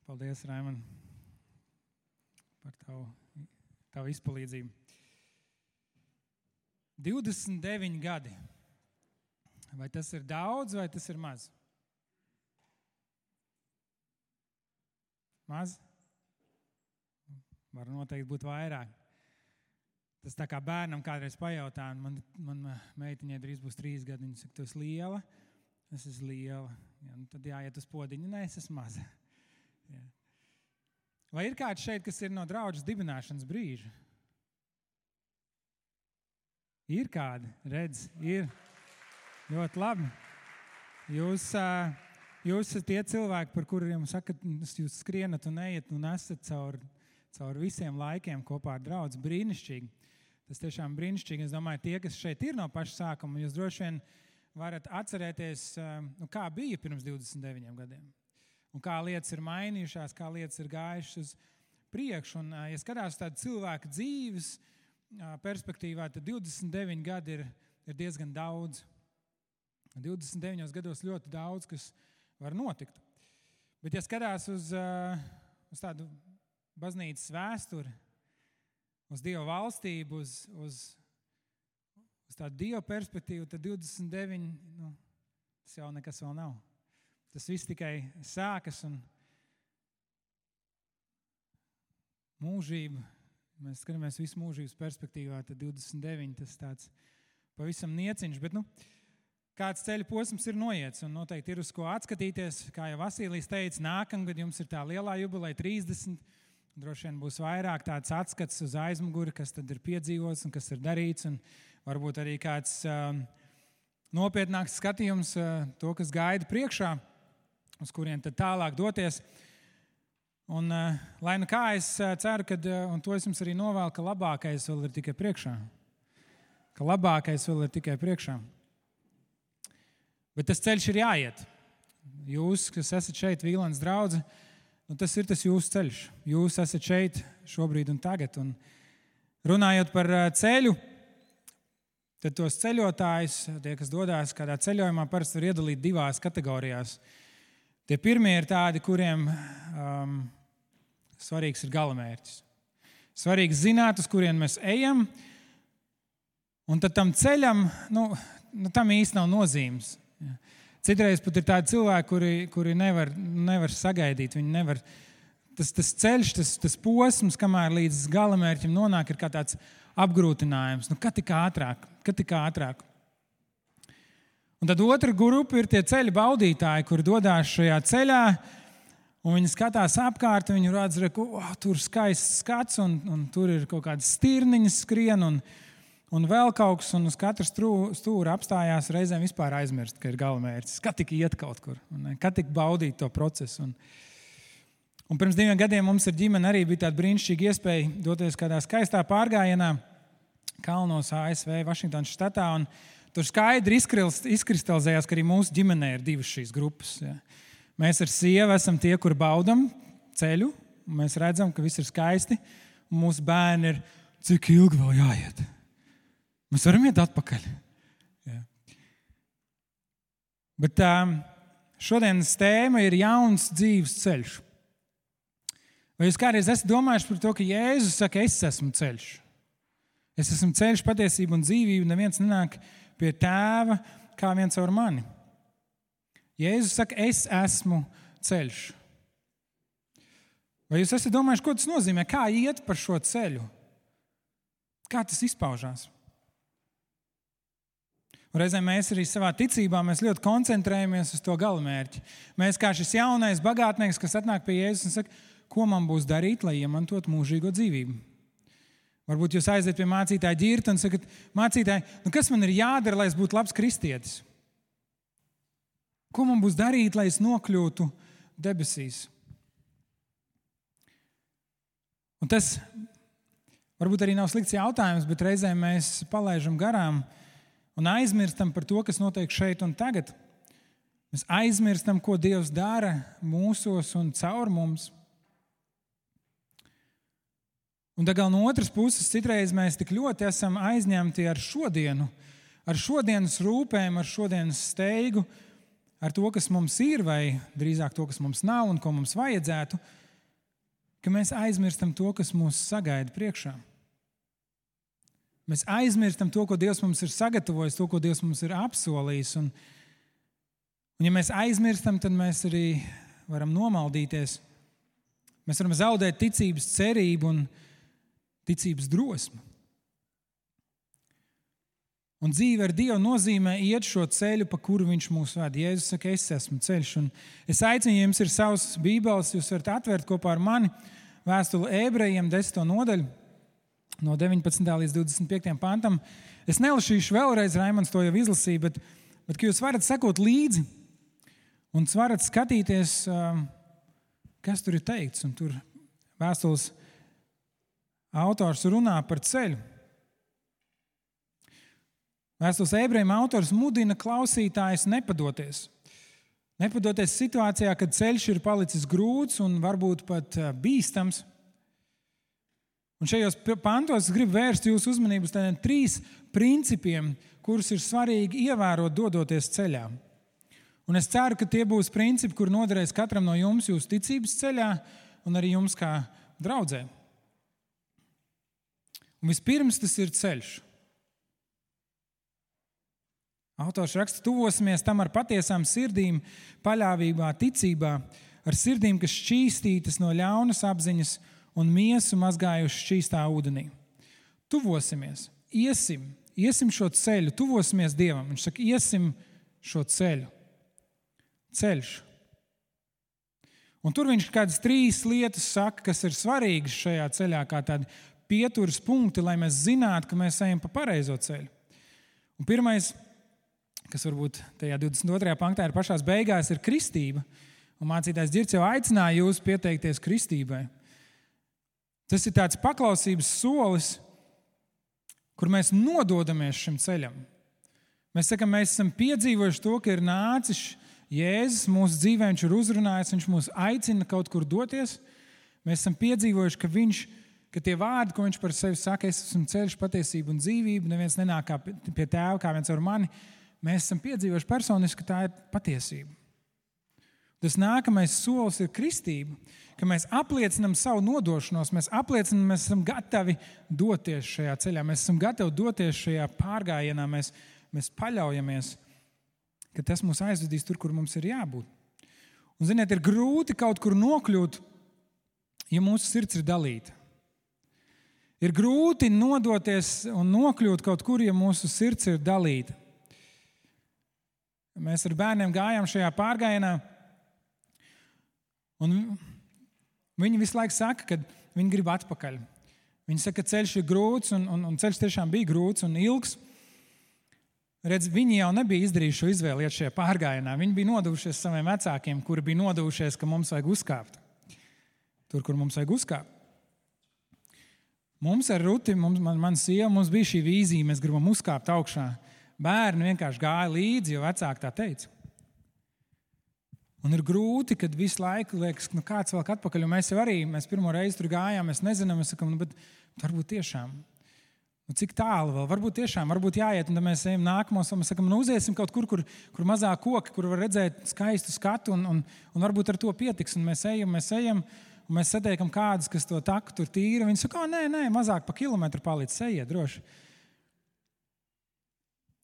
Paldies, Raimond, par tavu izpalīdzību. 29 gadi. Vai tas ir daudz, vai tas ir maz? Maz? Var noteikti būt vairāk. Tas tā kā bērnam kādreiz pajautā, un man meitiņai drīz būs 3 gadi, viņa saka, tu esi liela? Es esmu liela. Ja, tad jāiet uz podiņu. Nē, es esmu maza. Ja. Vai ir kāds šeit, kas ir no draudžas dibināšanas brīža? Ir kādi, redz, ir. Ļoti labi. Jūs esat tie cilvēki, par kuriem sakat, jūs skrienat un ejat un esat caur visiem laikiem kopā ar draudzi. Brīnišķīgi. Tas tiešām brīnišķīgi. Es domāju, tie, kas šeit ir no paša sākuma, jūs droši vien varat atcerēties, kā bija pirms 29 gadiem. Un kā lietas ir mainījušās, kā lietas ir gājušas uz priekšu. Un, ja skatās tādu cilvēku dzīves perspektīvā, tad 29 gadi ir diezgan daudz. 29 gados ļoti daudz, kas var notikt. Bet, ja skatās uz tādu baznīcas vēsturi, uz Dieva valstību, uz tādu Dieva perspektīvu, tad 29, tas jau nekas vēl nav. Tas viss tikai sākas un mūžība. Mēs skatāmies visu mūžības perspektīvā, tad 29, tas tāds pavisam nieciņš. Bet, kāds ceļa posms ir noiets un noteikti ir uz ko atskatīties. Kā jau Vasīlijs teica, nākamgad jums ir tā lielā jubileja 30. Droši vien būs vairāk tāds atskats uz aizmuguri, kas tad ir piedzīvots un kas ir darīts. Un varbūt arī kāds nopietnāks skatījums to, kas gaida priekšā, uz kuriem tad tālāk doties. Un, lai nu kā, es ceru, un to es jums arī novēlu, ka labākais vēl ir tikai priekšā. Ka labākais vēl ir tikai priekšā. Bet tas ceļš ir jāiet. Jūs, kas esat šeit Vīlāns draudze, tas ir tas jūsu ceļš. Jūs esat šeit šobrīd un tagad. Un runājot par ceļu, tad tos ceļotājus, tie, kas dodās kādā ceļojumā, parasti var iedalīt 2 kategorijās. Tie pirmie ir tādi, kuriem svarīgs ir galamērķis. Svarīgs zināt, uz kurien mēs ejam, un tad tam ceļam, tam īsti nav nozīmes. Citreiz pat ir tādi cilvēki, kuri nevar sagaidīt. Viņi nevar, tas ceļš, tas posms, kamēr līdz galamērķim nonāk, ir kā tāds apgrūtinājums. Kad tik ātrāk. Un tad otra grupa ir tie ceļa baudītāji, kuri dodās šajā ceļā, un viņi skatās apkārt, un viņi redz, tur skaists skats, un tur ir kaut kādas stirniņas skrien, un vēl kaut kas, un uz katru stūra apstājās reizēm vispār aizmirst, ka ir galamērķis. Kad tik iet kaut kur, kad tik baudīt to procesu. Un pirms 2 gadiem mums ar ģimeni arī bija tāda brīnišķīga iespēja doties kādā skaistā pārgājienā kalnos ASV, Vašingtonas štatā, un tur skaidri izkristalizējās, ka arī mūsu ģimenē ir 2 šīs grupas. Ja. Mēs ar sievu esam tie, kur baudam ceļu, un mēs redzam, ka viss ir skaisti, un mūsu bērni ir, cik ilgi vēl jāiet. Mēs varam iet atpakaļ. Ja. Bet šodienas tēma ir jauns dzīves ceļš. Vai jūs kādreiz esat domājuši par to, ka Jēzus saka, es esmu ceļš? Es esmu ceļš, patiesība un dzīvība, neviens nenāk pie tēva kā viens caur mani. Jēzus saka, es esmu ceļš. Vai jūs esat domājuši, ko tas nozīmē? Kā iet par šo ceļu? Kā tas izpaužās? Un reizēm mēs arī savā ticībā mēs ļoti koncentrējamies uz to galamērķi. Mēs kā šis jaunais bagātnieks, kas atnāk pie Jēzus un saka, ko man būs darīt, lai iemantot mūžīgo dzīvību? Varbūt jūs aiziet pie mācītāja ģirta un sakat, mācītāji, kas man ir jādara, lai es būtu labs kristietis? Ko man būs darīt, lai es nokļūtu debesīs? Un tas varbūt arī nav slikts jautājums, bet reizēm mēs palaižam garām un aizmirstam par to, kas notiek šeit un tagad. Mēs aizmirstam, ko Dievs dara mūsos un caur mums. Un tagad no otras puses, citreiz mēs tik ļoti esam aizņemti ar šodienu, ar šodienas rūpēm, ar šodienas steigu, ar to, kas mums ir, vai drīzāk to, kas mums nav un ko mums vajadzētu, ka mēs aizmirstam to, kas mūs sagaida priekšā. Mēs aizmirstam to, ko Dievs mums ir sagatavojis, to, ko Dievs mums ir apsolījis. Un ja mēs aizmirstam, tad mēs arī varam nomaldīties. Mēs varam zaudēt ticības cerību un ticības drosmi. Un dzīve ar Dievu nozīmē iet šo ceļu, pa kuru viņš mūs ved. Jēzus saka, es esmu ceļš. Un es aicinu, ja jums ir savs bībeles, jūs varat atvērt kopā ar mani vēstuli Ebrejiem 10. nodaļu, no 19. līdz 25. pantam. Es nelasīšu vēlreiz, Raimonds to jau izlasīja, bet ka jūs varat sekot līdzi un varat skatīties, kas tur ir teikts. Un tur vēstules autors runā par ceļu. Vēstules Ebrejiem autors mudina klausītājus nepadoties. Nepadoties situācijā, kad ceļš ir palicis grūts un varbūt pat bīstams. Un šajos pantos es gribu vērst jūsu uzmanību uz tādiem 3 principiem, kurus ir svarīgi ievērot, dodoties ceļā. Un es ceru, ka tie būs principi, kur noderēs katram no jums jūsu ticības ceļā un arī jums kā draudzē. Un vispirms tas ir ceļš. Autors raksta, tuvosimies tam ar patiesām sirdīm, paļāvībā, ticībā, ar sirdīm, kas šķīstītas no ļaunas apziņas un miesu mazgājuši šķīstā ūdenī. Tuvosimies, iesim šo ceļu, tuvosimies Dievam. Viņš saka, iesim šo ceļu. Ceļš. Un tur viņš kādas 3 lietas saka, kas ir svarīgas šajā ceļā, kā tādi pieturas punkti, lai mēs zinātu, ka mēs ejam pa pareizo ceļu. Un pirmais, kas varbūt tajā 22. panktā ir pašās beigās, ir kristība. Un mācītājs Ģirds jau aicināja jūs pieteikties kristībai. Tas ir tāds paklausības solis, kur mēs nododamies šim ceļam. Mēs sakam, mēs esam piedzīvojuši to, ka ir nācis Jēzus mūsu dzīvē, viņš ir uzrunājis, viņš mūs aicina kaut kur doties. Mēs esam piedzīvojuši, ka tie vārdi, ko viņš par sevi saka, es esmu ceļš, patiesība un dzīvība, neviens nenāk pie tēva, kā viens ar mani. Mēs esam piedzīvojuši personiski, ka tā ir patiesība. Tas nākamais solis ir kristība, ka mēs apliecinam savu nodošanos, mēs apliecinam, mēs esam gatavi doties šajā ceļā, mēs esam gatavi doties šajā pārgājienā, mēs paļaujamies, ka tas mūs aizvedīs tur, kur mums ir jābūt. Un, ziniet, ir grūti kaut kur nokļūt, ja mūsu sirds ir dalīta. Ir grūti nodoties un nokļūt kaut kur, ja mūsu sirds ir dalīta. Mēs ar bērniem gājām šajā pārgājienā, un viņi visu laiku saka, ka viņi grib atpakaļ. Viņi saka, ka ceļš ir grūts, un ceļš tiešām bija grūts un ilgs. Redz, viņi jau nebija izdarījuši šo izvēli iet šajā pārgājienā. Viņi bija nodevušies saviem vecākiem, kuri bija nodevušies, ka mums vajag uzkāpt. Tur, kur mums vajag uzkāpt. Mums ar Ruti, man sieva, mums bija šī vīzija, mēs gribam uzkāpt augšā. Bērni vienkārši gāja līdzi, jo vecāki tā teica. Un ir grūti, kad visu laiku liekas, kāds vēl atpakaļ, un mēs pirmo reizi tur gājām, mēs nezinām, mēs sakam, bet varbūt tiešām. Cik tālu vēl? Varbūt jāiet, un tad mēs ejam nākamos, un mēs sakam, uziesim kaut kur mazāk koki, kur var redzēt skaistu skatu, un varbūt ar to pietiks, un mēs ejam, un mēs satiekam kādus, kas to taku tur tīra, viņi saka, nē, mazāk pa kilometru paliec, ejiet droši.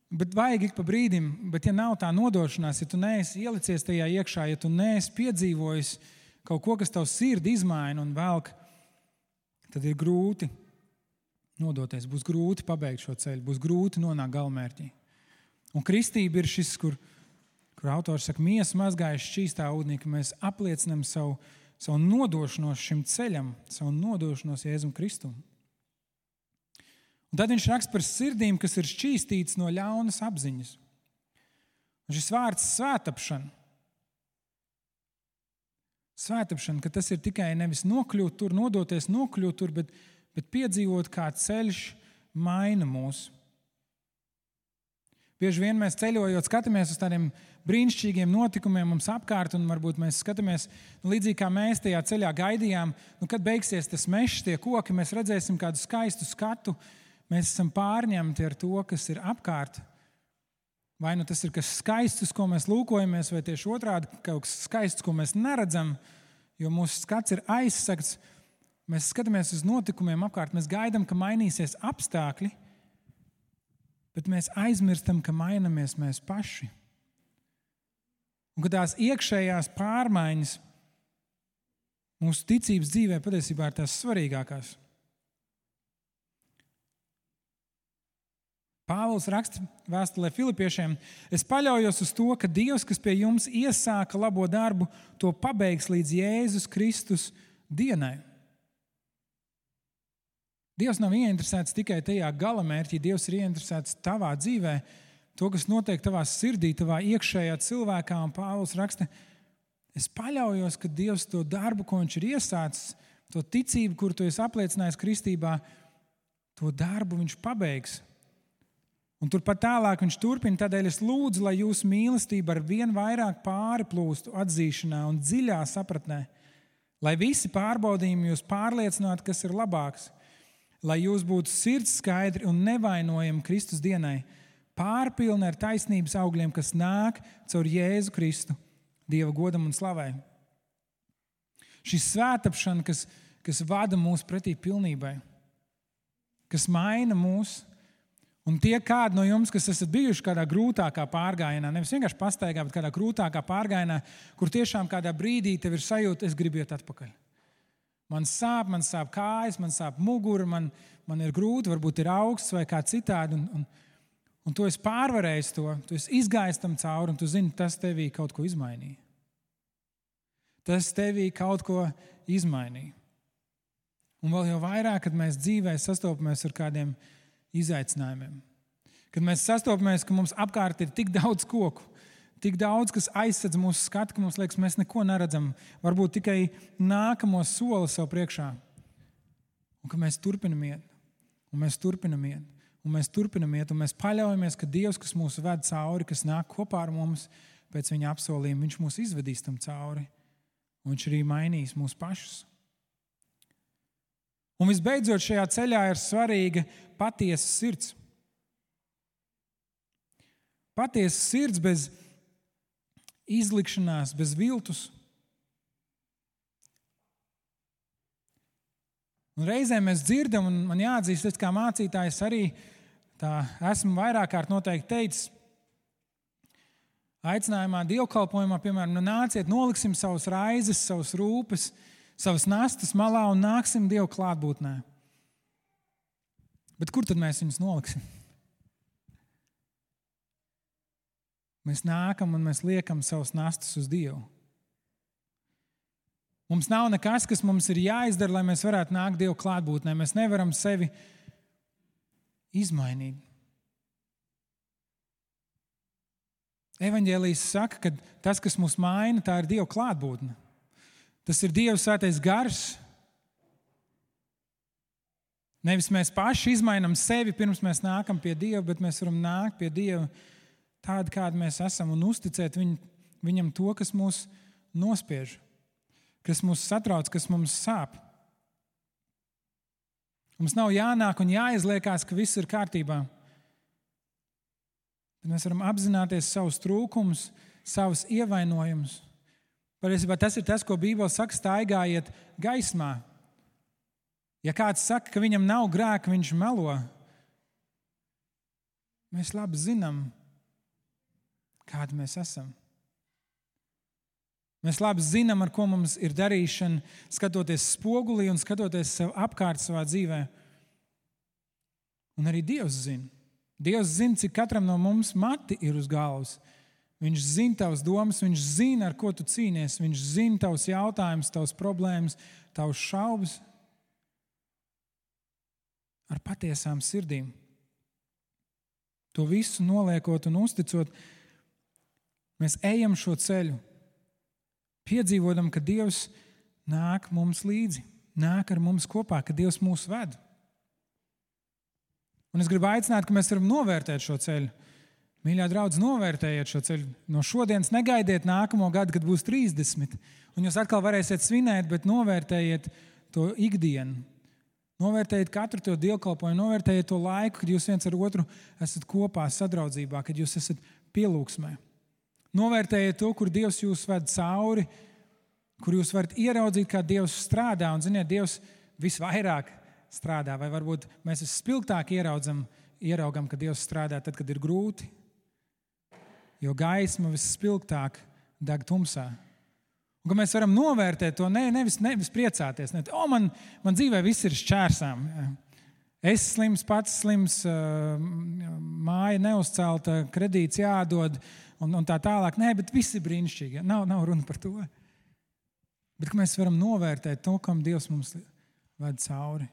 Bet vajag ik pa brīdim, bet ja nav tā nodošanās, ja tu neesi ielicies tajā iekšā, ja tu neesi piedzīvojis kaut ko, kas tavu sirdi izmaina un velk, tad ir grūti nodoties, būs grūti pabeigt šo ceļu, būs grūti nonākt galamērķī. Un kristība ir šis, kur autors saka, miesa mazgājuši šķīstā ūdenī, ka mēs apliecinām savu nodošanos šim ceļam, savu nodošanos Jēzum Kristum. Un tad viņš raksta par sirdīm, kas ir šķīstītas no ļaunas apziņas. Un šis vārds svētapšana. Svētapšana, ka tas ir tikai nevis nokļūt tur, nodoties nokļūt tur, bet piedzīvot, kā ceļš maina mūs. Bieži vien mēs ceļojot, skatāmies uz tādiem brīnišķīgiem notikumiem mums apkārt, un varbūt mēs skatāmies, līdzīgi kā mēs tajā ceļā gaidījām, kad beigsies tas mežs, tie koki, mēs redzēsim kādu skaistu skatu. Mēs esam pārņemti ar to, kas ir apkārt, vai nu tas ir kas skaists, uz ko mēs lūkojamies, vai tieši otrādi kaut kas skaists, ko mēs neredzam, jo mūsu skats ir aizsegts. Mēs skatāmies uz notikumiem apkārt, mēs gaidām, ka mainīsies apstākļi, bet mēs aizmirstam, ka mainamies mēs paši. Un ka tās iekšējās pārmaiņas mūsu ticības dzīvē patiesībā ir tās svarīgākās. Pāvils raksta vēstulē Filipiešiem: es paļaujos uz to, ka Dievs, kas pie jums iesāka labo darbu, to pabeigs līdz Jēzus Kristus dienai. Dievs nav ieinteresēts tikai tajā galamērķī, Dievs ir ieinteresēts tavā dzīvē, to, kas notiek tavā sirdī, tavā iekšējā cilvēkā. Un Pāvils raksta: es paļaujos, ka Dievs to darbu, ko viņš ir iesācis, to ticību, kuru tu esi apliecinājis kristībā, to darbu viņš pabeigs. Un turpat tālāk viņš turpina: tādēļ es lūdzu, lai jūsu mīlestība ar vien vairāk pārplūstu atzīšanā un dziļā sapratnē, lai visi pārbaudījumi jūs pārliecinātu, kas ir labāks, lai jūs būtu sirds skaidri un nevainojami Kristus dienai, pārpilni ar taisnības augļiem, kas nāk caur Jēzu Kristu, Dieva godam un slavai. Šī svētapšana, kas vada mūs pretī pilnībai, kas maina mūs. Un tie kādi no jums, kas esat bijuši kādā grūtākā pārgājienā, nevis vienkārši pastaigā, bet kādā grūtākā pārgājienā, kur tiešām kādā brīdī tev ir sajūta, es gribu iet atpakaļ. Man sāp kājas, man sāp mugura, man ir grūti, varbūt ir augsts vai kā citādi. Un tu esi pārvarējis to, tu esi izgājis tam cauri, un tu zini, tas tevī kaut ko izmainīja. Tas tevī kaut ko izmainīja. Un vēl jau vairāk, kad mēs dzīvē sastopamies ar kādiem izaicinājumiem. Kad mēs sastopamies, ka mums apkārt ir tik daudz koku, tik daudz, kas aizsedz mūsu skatu, ka mums liekas, mēs neko neredzam, varbūt tikai nākamo soli sev priekšā. Un ka mēs turpinam iet, un mēs turpinam iet, un mēs turpinam iet, un mēs paļaujamies, ka Dievs, kas mūs ved cauri, kas nāk kopā ar mums pēc viņa apsolījuma, viņš mūs izvedīs tam cauri, un viņš arī mainīs mūs pašus. Un visbeidzot, šajā ceļā ir svarīga patiesa sirds. Patiesa sirds bez izlikšanās, bez viltus. Un reizēm mēs dzirdam, un man jāatzīst, es kā mācītājs arī tā esmu vairāk kārt noteikti teicis, aicinājumā, dievkalpojumā, piemēram, nāciet, noliksim savus raizes, savus rūpes, savas nastas malā un nāksim Dievu klātbūtnē. Bet kur tad mēs viņus noliksim? Mēs nākam un mēs liekam savas nastas uz Dievu. Mums nav nekas, kas mums ir jāizdara, lai mēs varētu nākt Dievu klātbūtnē. Mēs nevaram sevi izmainīt. Evaņģēlijs saka, ka tas, kas mūs maina, tā ir Dieva klātbūtne. Tas ir Dieva svētais gars. Nevis mēs paši izmainām sevi, pirms mēs nākam pie Dieva, bet mēs varam nākt pie Dieva tādi, kādi mēs esam, un uzticēt viņam to, kas mūs nospiež, kas mūs satrauc, kas mums sāp. Mums nav jānāk un jāizliekās, ka viss ir kārtībā. Bet mēs varam apzināties savus trūkumus, savus ievainojumus. Patiesībā tas ir tas, ko Bībele saka, staigājiet gaismā. Ja kāds saka, ka viņam nav grēka, viņš melo. Mēs labi zinām, kādi mēs esam. Mēs labi zinām, ar ko mums ir darīšana, skatoties spogulī un skatoties sev apkārt savā dzīvē. Un arī Dievs zina. Dievs zina, cik katram no mums mati ir uz galvas. Viņš zina tavas domas, viņš zina, ar ko tu cīnies, viņš zina tavus jautājumus, tavas problēmas, tavas šaubas. Ar patiesām sirdīm. To visu noliekot un uzticot, mēs ejam šo ceļu, piedzīvodam, ka Dievs nāk mums līdzi, nāk ar mums kopā, ka Dievs mūs ved. Un es gribu aicināt, ka mēs varam novērtēt šo ceļu. Mīļā draudz, novērtējiet šo ceļu. No šodienas negaidiet nākamo gadu, kad būs 30, un jūs atkal varēsiet svinēt, bet novērtējiet to ikdienu. Novērtējiet katru to dievkalpojumu, novērtējiet to laiku, kad jūs viens ar otru esat kopā sadraudzībā, kad jūs esat pielūgsmē. Novērtējiet to, kur Dievs jūs ved cauri, kur jūs varat ieraudzīt, kā Dievs strādā. Un, ziniet, Dievs visvairāk strādā, vai varbūt mēs vispilgtāk ieraugam, ka Dievs strādā tad, kad ir grūti, jo gaisma visspilgtāk deg tumsā. Un ka mēs varam novērtēt to, nevis priecāties. Man dzīvē viss ir šķērsām. Es slims, pats slims, māja neuzcelta, kredīts jādod un tā tālāk. Nē, bet viss ir brīnišķīgi. Nav runa par to. Bet mēs varam novērtēt to, kam Dievs mums ved cauri.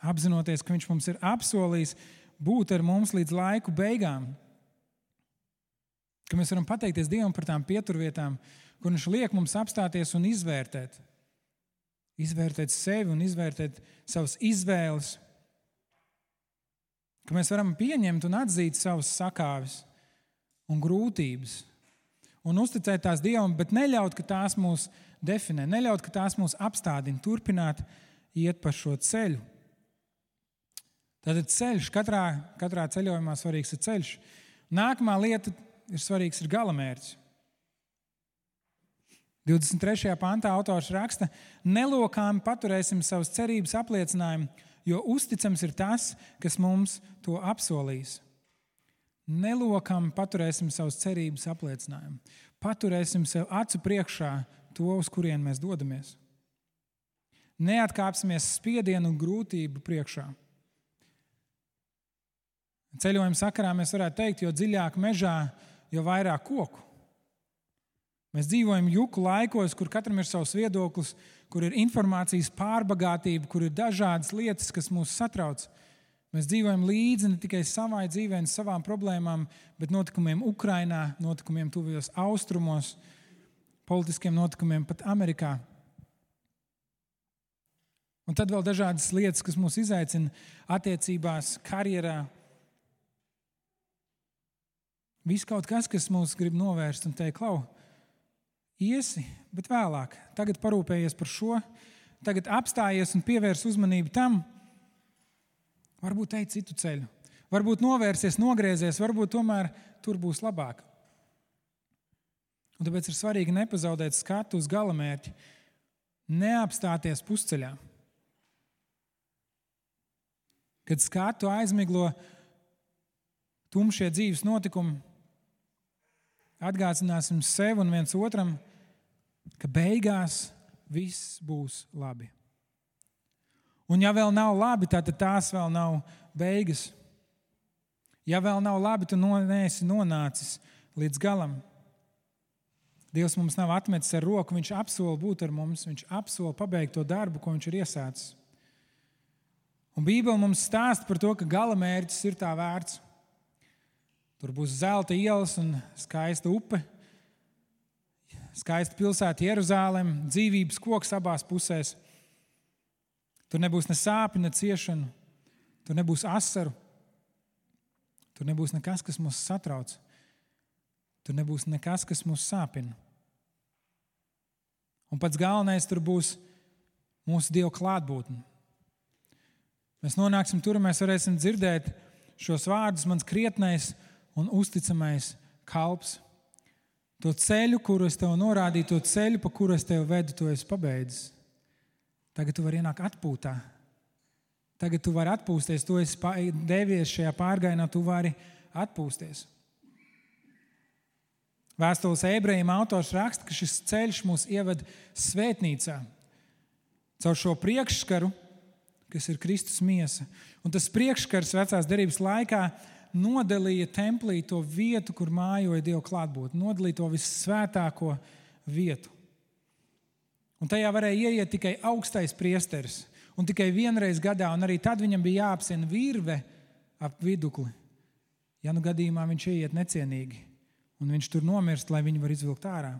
Apzinoties, ka viņš mums ir apsolījis būt ar mums līdz laiku beigām. Ka mēs varam pateikties Dievam par tām pieturvietām, kur viņš liek mums apstāties un izvērtēt. Izvērtēt sevi un izvērtēt savas izvēles. Ka mēs varam pieņemt un atzīt savas sakāves un grūtības. Un uzticēt tās Dievam, bet neļaut, ka tās mūs definē. Neļaut, ka tās mūs apstādina. Turpināt iet pa šo ceļu. Tātad ceļš, katrā ceļojumā svarīgs ir ceļš. Nākamā lieta ir galamērķis. 23. pantā autors raksta: nelokāmi paturēsim savas cerības apliecinājumu, jo uzticams ir tas, kas mums to apsolīs. Nelokāmi paturēsim savas cerības apliecinājumu. Paturēsim sev acu priekšā to, uz kurien mēs dodamies. Neatkāpsimies spiedienu un grūtību priekšā. Ceļojuma sakarā mēs varētu teikt, jo dziļāk mežā, jo vairāk koku. Mēs dzīvojam juku laikos, kur katram ir savs viedoklis, kur ir informācijas pārbagātība, kur ir dažādas lietas, kas mūs satrauc. Mēs dzīvojam līdzi ne tikai savai dzīvē un savām problēmām, bet notikumiem Ukrainā, notikumiem tuvajos austrumos, politiskiem notikumiem pat Amerikā. Un tad vēl dažādas lietas, kas mūs izaicina attiecībās, karjerā. Viss kaut kas mūs grib novērst un teikt: klau, iesi, bet vēlāk. Tagad parūpējies par šo, tagad apstājies un pievērs uzmanību tam. Varbūt ej citu ceļu, varbūt novērsies, nogriezies, varbūt tomēr tur būs labāk. Un tāpēc ir svarīgi nepazaudēt skatu uz galamērķi, neapstāties pusceļā. Kad skatu aizmiglo tumšie dzīves notikumi, atgādināsim sev un viens otram, ka beigās viss būs labi. Un ja vēl nav labi, tad tās vēl nav beigas. Ja vēl nav labi, tu neesi nonācis līdz galam. Dievs mums nav atmetis ar roku, viņš apsola būt ar mums, viņš apsola pabeigt to darbu, ko viņš ir iesācis. Un Bībele mums stāsta par to, ka galamērķis ir tā vērts. Tur būs zelta ielas un skaista upe, skaista pilsēta Jeruzāleme, dzīvības koks abās pusēs. Tur nebūs ne sāpju, ne ciešanu, tur nebūs asaru, tur nebūs nekas, kas mūs satrauc, tur nebūs nekas, kas mūs sāpina. Un pats galvenais, tur būs mūsu Dieva klātbūtne. Mēs nonāksim tur, un mēs varēsim dzirdēt šos vārdus: mans krietnais un uzticamais kalps. To ceļu, kuru es tev norādīju, to ceļu, pa kuru es tev vedu, to esi pabeidzis. Tagad tu vari ienākt atpūtā. Tagad tu vari atpūsties. Tu esi devies šajā pārgājienā, tu vari atpūsties. Vēstules Ebrejiem autors raksta, ka šis ceļš mūs ieved svētnīcā. Caur šo priekšskaru, kas ir Kristus miesa. Un tas priekšskars vecās derības laikā nodalīja templī to vietu, kur mājoja Dieva klātbūtne. Nodalīja to vissvētāko vietu. Un tajā varēja ieiet tikai augstais priesteris. Un tikai vienreiz gadā, un arī tad viņam bija jāapsien virve ap vidukli. Ja nu gadījumā viņš ieiet necienīgi, un viņš tur nomirst, lai viņu var izvilkt ārā.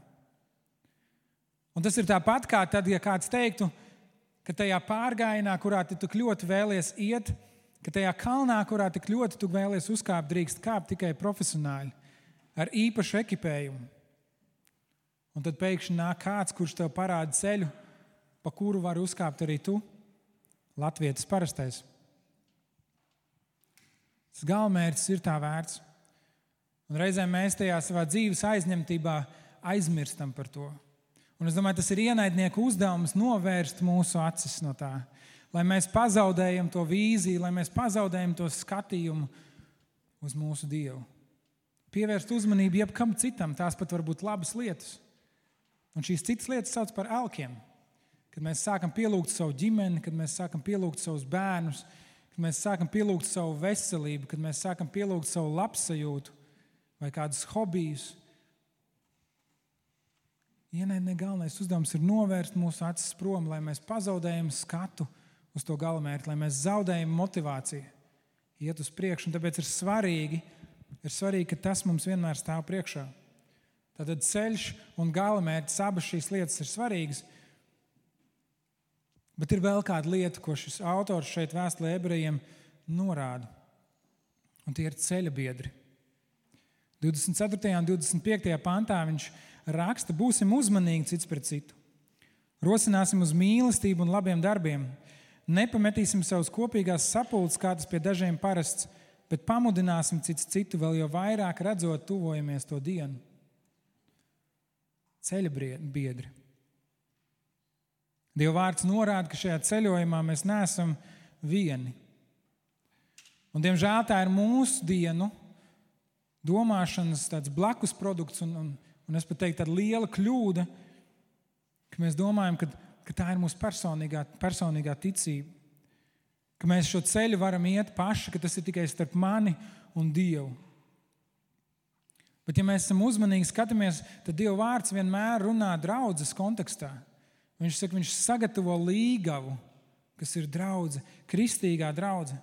Un tas ir tāpat kā tad, ja kāds teiktu, ka tajā pārgājienā, kurā tu tik ļoti vēlies iet, ka tajā kalnā, kurā tik ļoti tu vēlies uzkāpt, drīkst kāpt tikai profesionāļi ar īpašu ekipējumu. Un tad pēkšņi nāk kāds, kurš tev parāda ceļu, pa kuru var uzkāpt arī tu, latvietis parastais. Tas galamērķis ir tā vērts. Un reizēm mēs tajā savā dzīves aizņemtībā aizmirstam par to. Un es domāju, tas ir ienaidnieku uzdevums novērst mūsu acis no tā. Lai mēs pazaudējam to vīziju, lai mēs pazaudējam to skatījumu uz mūsu Dievu. Pievērst uzmanību jebkam citam, tās pat var būt labas lietas. Un šīs citas lietas sauc par elkiem. Kad mēs sākam pielūgt savu ģimeni, kad mēs sākam pielūgt savus bērnus, kad mēs sākam pielūgt savu veselību, kad mēs sākam pielūgt savu labsajūtu vai kādus hobijus. Ienaidnieka galvenais uzdevums ir novērst mūsu acis prom, lai mēs pazaudējam skatu uz to galamērķi, lai mēs zaudējam motivāciju iet uz priekšu. Un tāpēc ir svarīgi, ka tas mums vienmēr stāv priekšā. Tātad ceļš un galamērķis, abas šīs lietas ir svarīgas. Bet ir vēl kāda lieta, ko šis autors šeit vēstulē ebrejiem norāda. Un tie ir ceļa biedri. 24. un 25. pantā viņš raksta: būsim uzmanīgi cits pret citu. Rosināsim uz mīlestību un labiem darbiem. Nepametīsim savus kopīgās sapulces, kā tas pie dažiem parasts, bet pamudināsim cits citu, vēl jau vairāk redzot, tuvojamies to dienu. Ceļa biedri. Dieva vārds norāda, ka šajā ceļojumā mēs neesam vieni. Un, diemžēl, tā ir mūsu dienu domāšanas tāds blakus produkts, un es pat teiktu, tāda liela kļūda, ka mēs domājam, ka tā ir mūsu personīgā ticība. Ka mēs šo ceļu varam iet paši, ka tas ir tikai starp mani un Dievu. Bet, ja mēs esam uzmanīgi skatāmies, tad Dieva vārds vienmēr runā draudzes kontekstā. Viņš saka, viņš sagatavo līgavu, kas ir draudze, kristīgā draudze.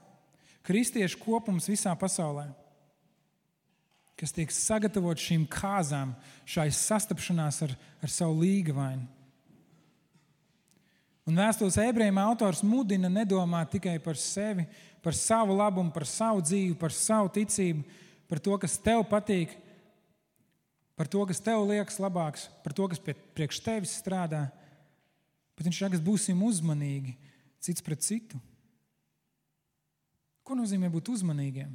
Kristiešu kopums visā pasaulē, kas tiek sagatavot šīm kāzām, šai sastapšanās ar savu līgavainu. Un vēstules ebrejiem autors mudina nedomāt tikai par sevi, par savu labumu, par savu dzīvi, par savu ticību, par to, kas tev patīk, par to, kas tev liekas labāks, par to, kas priekš tevis strādā. Bet viņš saka, būsim uzmanīgi cits pret citu. Ko nozīmē būt uzmanīgiem?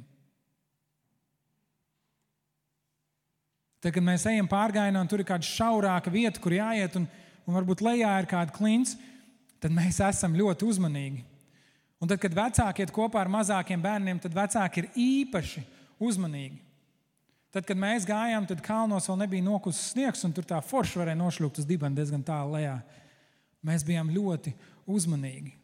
Tad, kad mēs ejam pārgājienā un tur ir kāda šaurāka vieta, kur jāiet, un varbūt lejā ir kāda klints, tad mēs esam ļoti uzmanīgi. Un tad, kad vecāki iet kopā ar mazākiem bērniem, tad vecāki ir īpaši uzmanīgi. Tad, kad mēs gājām, tad kalnos vēl nebija nokusis sniegs, un tur tā forši varēja nošļūkt uz dibena diezgan tālu lejā. Mēs bijām ļoti uzmanīgi.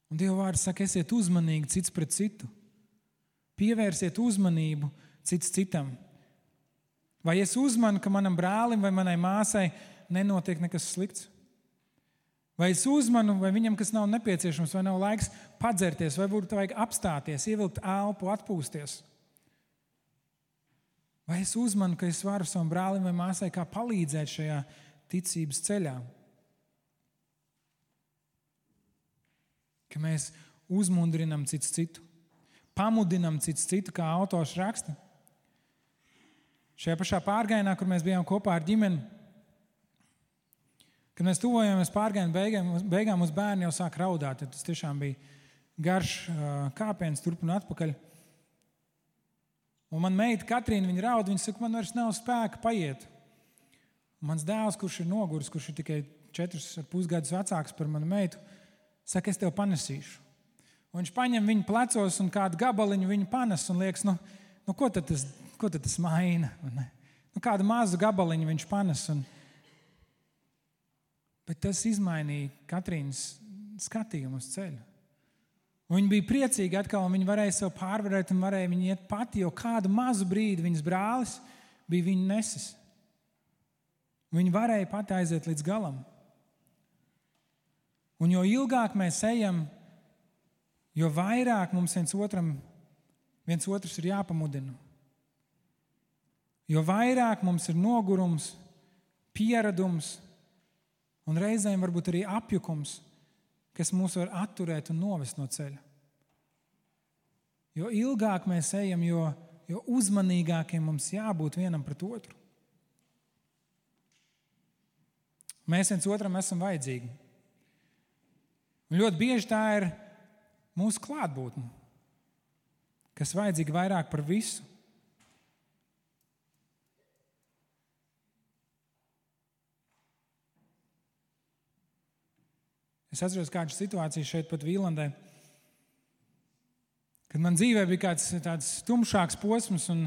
Un Dieva vārds saka, esiet uzmanīgi cits pret citu. Pievērsiet uzmanību cits citam. Vai es uzmanu, ka manam brālim vai manai māsai nenotiek nekas slikts? Vai es uzmanu, vai viņam kas nav nepieciešams, vai nav laiks padzerties, vai būtu vajag apstāties, ievilkt elpu, atpūsties? Vai es uzmanu, ka es varu savam brālim vai māsai kā palīdzēt šajā ticības ceļā? Ka mēs uzmundrinam cits citu, pamudinam cits citu, kā autors raksta. Šajā pašā pārgājienā, kur mēs bijām kopā ar ģimeni, kad mēs tuvojāmies pārgājienu beigām, mūsu bērni jau sāk raudāt. Tas tiešām bija garš kāpiens turp un atpakaļ. Un man meita Katrīna, viņa raud, viņa saka, man vairs nav spēka paiet. Un mans dēls, kurš ir noguris, kurš ir tikai 4,5 gadus vecāks par manu meitu, saka, es tev panesīšu. Un viņš paņem viņu plecos un kādu gabaliņu viņu panes un liekas, ko tad tas maina? Kādu mazu gabaliņu viņš panes. Bet tas izmainīja Katrīnas skatījumu uz ceļu. Un viņa bija priecīga atkal, un viņa varēja sev pārvarēt, un varēja viņa iet pati, jo kādu mazu brīdi viņas brālis bija viņu nesis. Viņa varēja pati aiziet līdz galam. Un jo ilgāk mēs ejam, jo vairāk mums viens otrs ir jāpamudina. Jo vairāk mums ir nogurums, pieradums, un reizēm varbūt arī apjukums, kas mūs var atturēt un novest no ceļa. Jo ilgāk mēs ejam, jo uzmanīgākiem mums jābūt vienam pret otru. Mēs viens otram esam vajadzīgi. Un ļoti bieži tā ir mūsu klātbūtne, kas vajadzīga vairāk par visu. Es atceros kādu situāciju šeit pat Vīlandē, kad man dzīvē bija kāds tāds tumšāks posms un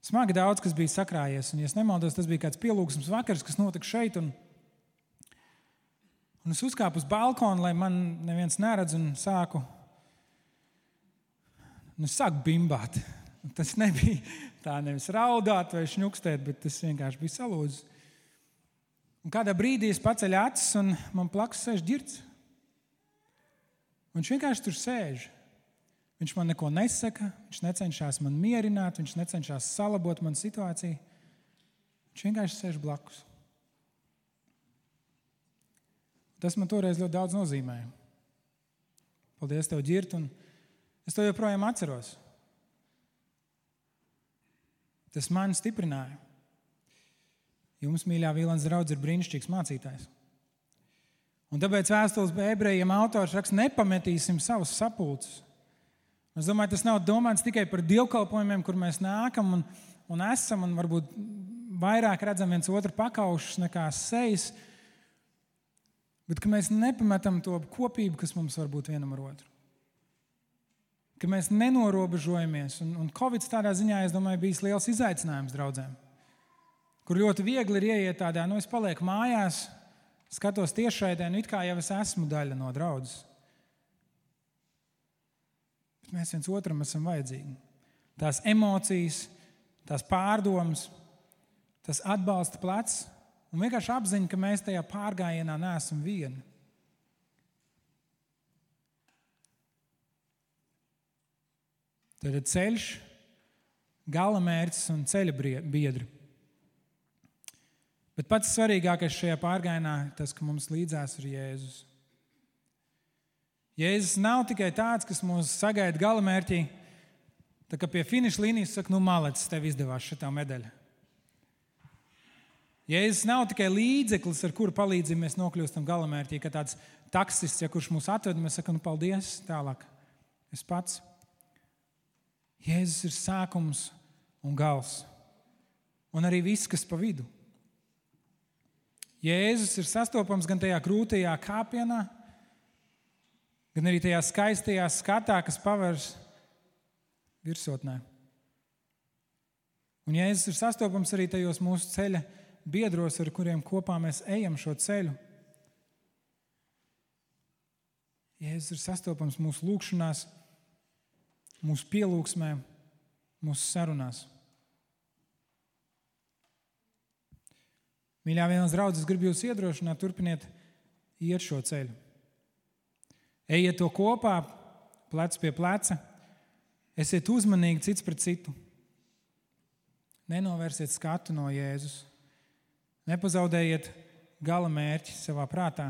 smagi daudz, kas bija sakrājies. Un, ja es nemaldos, tas bija kāds pielūgsmes vakars, kas notika šeit. Un es uzkāpu uz balkonu, lai man neviens neredz un sāku bimbāt. Tas nebija tā nevis raudāt vai šņukstēt, bet tas vienkārši bija salūzis. Un kādā brīdī es paceļu acis un man blakus sēž Ģirds. Viņš vienkārši tur sēž. Viņš man neko nesaka, viņš necenšas man mierināt, viņš necenšas salabot manu situāciju. Viņš vienkārši sēž blakus. Tas man toreiz ļoti daudz nozīmēja. Paldies tev, Ģirt, un es to joprojām atceros. Tas mani stiprināja. Jums, mīļā Vīlandes draudze, ir brīnišķīgs mācītājs. Un tāpēc vēstules ebrejiem autors raksta, nepametīsim savus sapulces. Es domāju, tas nav domāts tikai par dievkalpojumiem, kur mēs nākam un esam un varbūt vairāk redzam viens otru pakaušus nekā sejas, bet ka mēs nepametam to kopību, kas mums var būt vienam ar otru. Ka mēs nenorobežojamies. Un Covid tādā ziņā, es domāju, bijis liels izaicinājums draudzēm, kur ļoti viegli ir ieiet tādā, es palieku mājās, skatos tiešraidē, it kā jau es esmu daļa no draudzes. Bet mēs viens otram esam vajadzīgi. Tās emocijas, tās pārdomas, tas atbalsta plecs un vienkārši apziņa, ka mēs tajā pārgājienā neesam vieni. Tad ceļš, galamērķis un ceļa biedri. Bet pats svarīgākais šajā pārgājienā ir tas, ka mums līdzās ir Jēzus. Jēzus nav tikai tāds, kas mūs sagaida galamērķī, tā kā pie finiša līnijas saka, malec, tev izdevās šitā medaļa. Jēzus nav tikai līdzeklis, ar kuru palīdzību mēs nokļūstam galamērķī, kā tāds taksists, kurš mūs atved, mēs sakam, paldies, tālāk. Es pats. Jēzus ir sākums un gals. Un arī viss, kas pa vidu. Jēzus ir sastopams gan tajā krūtajā kāpienā, gan arī tajā skaistajā skatā, kas pavērs virsotnē. Un Jēzus ir sastopams arī tajos mūsu ceļa biedros, ar kuriem kopā mēs ejam šo ceļu. Jēzus ir sastopams mūsu lūgšanās, mūsu pielūgsmē, mūsu sarunās. Mīļā Vīlandes draudze, es gribu jūs iedrošināt, turpiniet iet šo ceļu. Ejiet to kopā, plec pie pleca, esiet uzmanīgi cits pret citu. Nenovērsiet skatu no Jēzus. Nepazaudējiet gala mērķi savā prātā.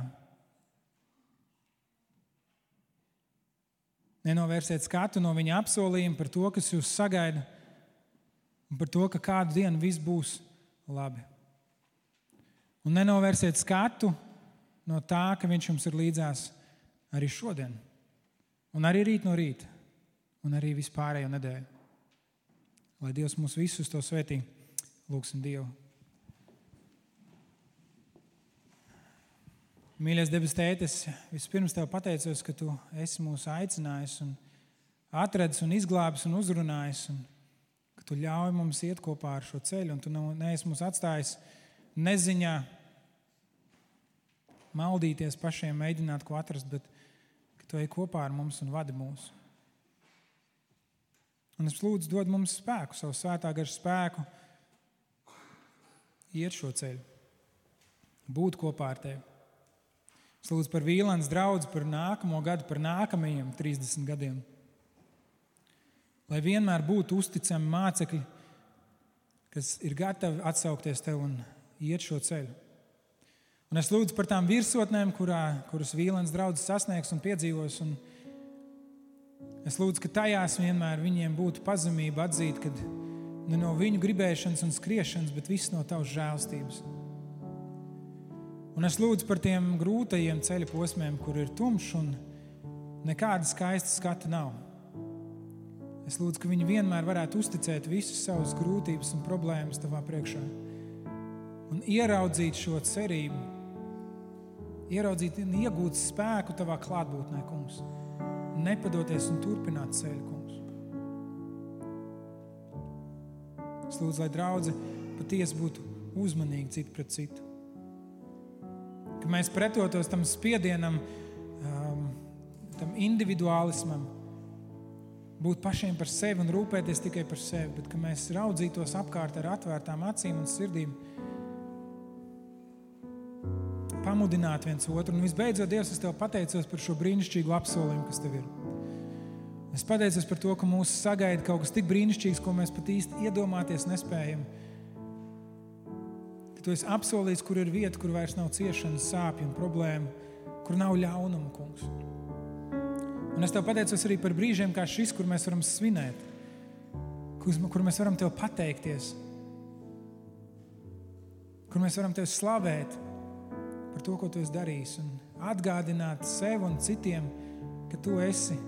Nenovērsiet skatu no viņa apsolījuma par to, kas jūs sagaida, un par to, ka kādu dienu viss būs labi. Un nenovērsiet skatu no tā, ka viņš jums ir līdzās arī šodien, un arī rīt no rīta, un arī vispārējo nedēļu. Lai Dievs mūs visus to svētī. Lūgsim Dievu. Mīļais debes Tēte, es vispirms Tev pateicos, ka Tu esi mūs aicinājis un atradis un izglābis un uzrunājis, un ka Tu ļauj mums iet kopā ar šo ceļu, un Tu neesi mūs atstājis neziņā maldīties pašiem, mēģināt ko atrast, bet ka Tu ej kopā ar mums un vadi mūs. Un es lūdzu dod mums spēku, savu svētā gara spēku, iet šo ceļu, būt kopā ar Tevi. Es lūdzu par Vīlandes draudzi, par nākamo gadu, par nākamajiem 30 gadiem. Lai vienmēr būtu uzticami mācekļi, kas ir gatavi atsaukties Tev un iet šo ceļu. Un es lūdzu par tām virsotnēm, kuras Vīlandes draudze sasniegs un piedzīvos. Un es lūdzu, ka tajās vienmēr viņiem būtu pazemība atzīt, ka ne no viņu gribēšanas un skriešanas, bet viss no Tavas žēlstības. Un es lūdzu par tiem grūtajiem ceļa posmiem, kur ir tumšs un nekāda skaista skata nav. Es lūdzu, ka viņi vienmēr varētu uzticēt visus savus grūtības un problēmas Tavā priekšā un ieraudzīt šo cerību, ieraudzīt un iegūt spēku tavā klātbūtnē, kungs. Nepadoties un turpināt ceļu, kungs. Es lūdzu, lai draudze patiesi būtu uzmanīgi citu pret citu. Ka mēs pretotos tam spiedienam, tam individuālismam, būt pašiem par sevi un rūpēties tikai par sevi, bet ka mēs raudzītos apkārt ar atvērtām acīm un sirdīm, pamudināt viens otru. Un visbeidzot, Dievs, es Tev pateicos par šo brīnišķīgu apsolījumu, kas Tev ir. Es pateicos par to, ka mūs sagaida kaut kas tik brīnišķīgs, ko mēs pat īsti iedomāties nespējam. Ka Tu esi apsolījis, kur ir vieta, kur vairs nav ciešanas, sāpju un problēmu, kur nav ļaunuma, kungs. Un es Tev pateicos arī par brīžiem kā šis, kur mēs varam svinēt, kur mēs varam Tev pateikties, kur mēs varam Tev slavēt par to, ko Tu esi darījis, un atgādināt sev un citiem, ka Tu esi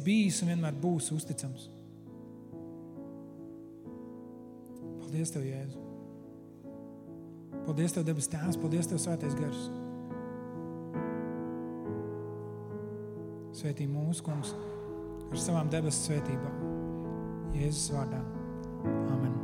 bijis un vienmēr būsi uzticams. Paldies Tev, Jēzu. Paldies Tev, debes Tēvs, paldies Tev, Svētais Gars. Svētī mūsu, kungs, ar savām debesu svētībām. Jēzus vārdā. Amen.